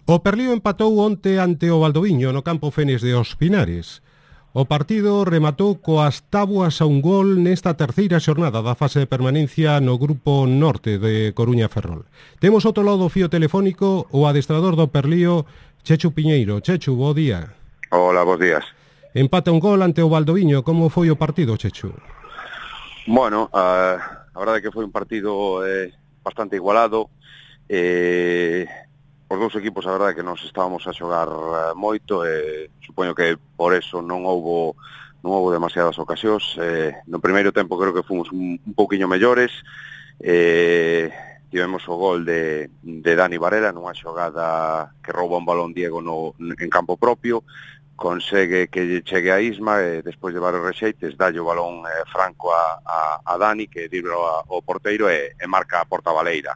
O Perlío empatou onte ante o Valdoviño no campo Fenes de Os Pinares. O partido rematou coas tábuas a un gol nesta terceira xornada da fase de permanencia no grupo norte de Coruña Ferrol. Temos outro lado do fío telefónico o adestrador do Perlío, Chechu Piñeiro. Chechu, bo día. Hola, bos días. Empata un gol ante o Valdoviño. Como foi o partido, Chechu? Bueno, a verdade é que foi un partido bastante igualado. Os dous equipos, a verdade é que nos estábamos a xogar moito, supoño que por eso non houbo demasiadas ocasións. No primeiro tempo creo que fomos un pouquiño mellores. Tivemos o gol de Dani Varela nunha xogada que rouba un balón Diego en campo propio, consegue que chegue a Isma e despois de varios rexeites dalle o balón franco a Dani, que dribla o porteiro e marca a porta baleira.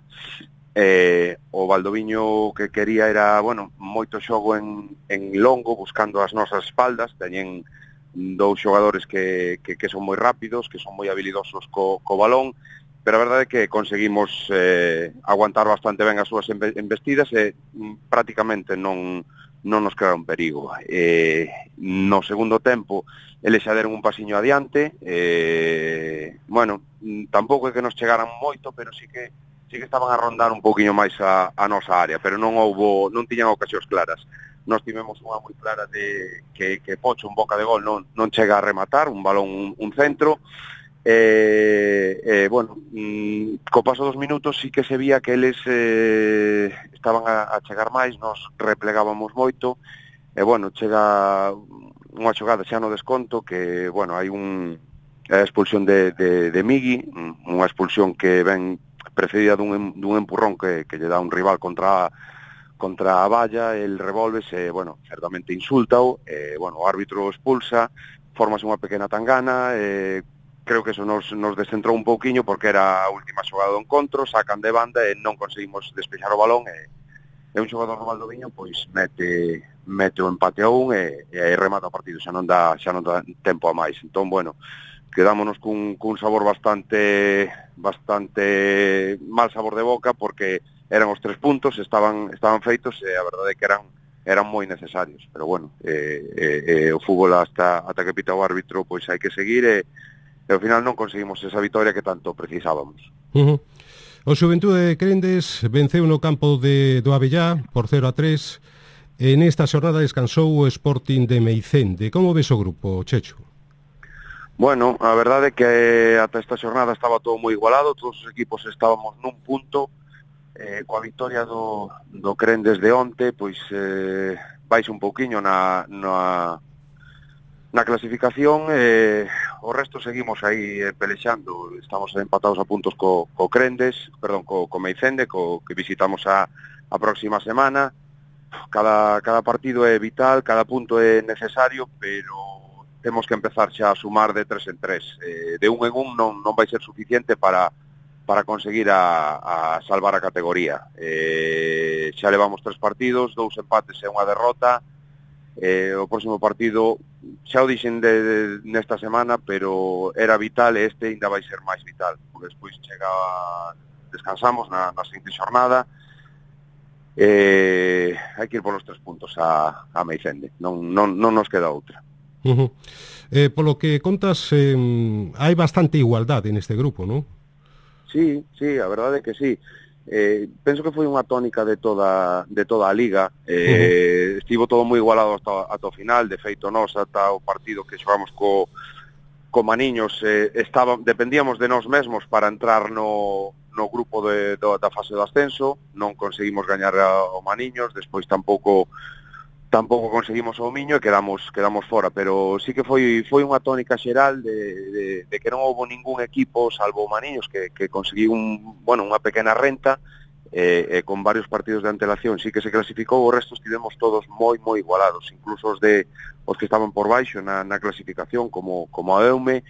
O Valdoviño que quería era, moito xogo en longo, buscando as nosas espaldas. Teñen dous xogadores que son moi rápidos, que son moi habilidosos co balón, pero a verdade é que conseguimos aguantar bastante ben as súas embestidas e prácticamente non nos crearon perigo. No segundo tempo eles xa deron un pasiño adiante. Tampouco é que nos chegaran moito, pero sí que estaban a rondar un pouquiño máis a nosa área, pero non tiñan ocasións claras. Nós tivemos unha moi clara de que Pocho en boca de gol non chega a rematar, un balón, un centro. Co paso dos minutos sí que se vía que eles estaban a chegar máis, nos replegábamos moito, chega unha xogada xa no desconto que, hai a expulsión de Migui, unha expulsión que ven precedida dun empurrón que lle dá un rival contra a valla. El revolve-se, certamente insúltao, o árbitro expulsa, formase unha pequena tangana. Creo que eso nos descentrou un pouquiño porque era a última xogada do encontro, sacan de banda e non conseguimos despexar o balón e un xogador do Valdoviño pois mete o empate a un e remata o partido, xa non dá tempo a máis. Entón, quedámonos cun sabor bastante mal sabor de boca, porque eran os 3 puntos, estaban feitos e a verdade é que eran moi necesarios, pero o fútbol hasta que pita o árbitro pois hai que seguir e ao final non conseguimos esa vitoria que tanto precisábamos. O Xuventude de Crendes venceu no campo do Avellá por 0-3. Nesta xornada descansou o Sporting de Meicende. Como ves o grupo, Chechu? A verdade é que ata esta xornada estaba todo moi igualado, todos os equipos estábamos nun punto. Coa victoria do Crendes de onte, pois baixa un pouquiño na clasificación. O resto seguimos aí pelexando. Estamos empatados a puntos co Meicende, que visitamos a próxima semana. Cada partido é vital, cada punto é necesario, pero temos que empezar xa a sumar de 3 en 3. De un en un non vai ser suficiente para conseguir a salvar a categoría. Xa levamos 3 partidos, 2 empates e unha derrota. O próximo partido xa o dixen nesta semana, pero era vital e este ainda vai ser máis vital, porque despois descansamos na seguinte xornada. Hai que ir polos 3 puntos a Meicende, non nos queda outra. Polo que contas, hai bastante igualdade neste grupo, non? Sí, a verdade é que sí. Penso que foi unha tónica de toda a liga. Estivo todo moi igualado ata o final. De feito, nós ata o partido que xogamos co Maniños dependíamos de nós mesmos para entrar no grupo da fase do ascenso. Non conseguimos gañar ao Maniños, despois tampouco conseguimos o Miño e quedamos fora, pero sí que foi unha tónica xeral de que non houbo ningún equipo, salvo o Maniños, que conseguiu unha pequena renta, con varios partidos de antelación sí que se clasificou. O resto estivemos todos moi igualados, incluso os que estaban por baixo na clasificación, como a Eume,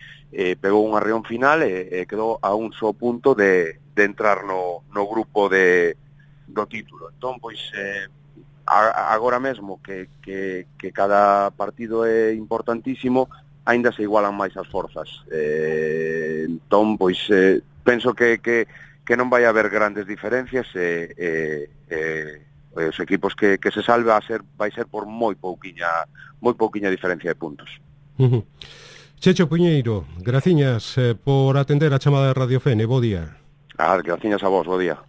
pegou un arreón final e quedou a un só punto de entrar no grupo do título. Entón, pois agora mesmo que cada partido é importantísimo, aínda se igualan máis as forzas. Entón, pois penso que non vai haber grandes diferencias os equipos que se salve vai ser por moi pouquiña diferencia de puntos. Checho Puñeiro, graciñas por atender a chamada de Radio Fene, bo día. Graciñas a vos, bo día.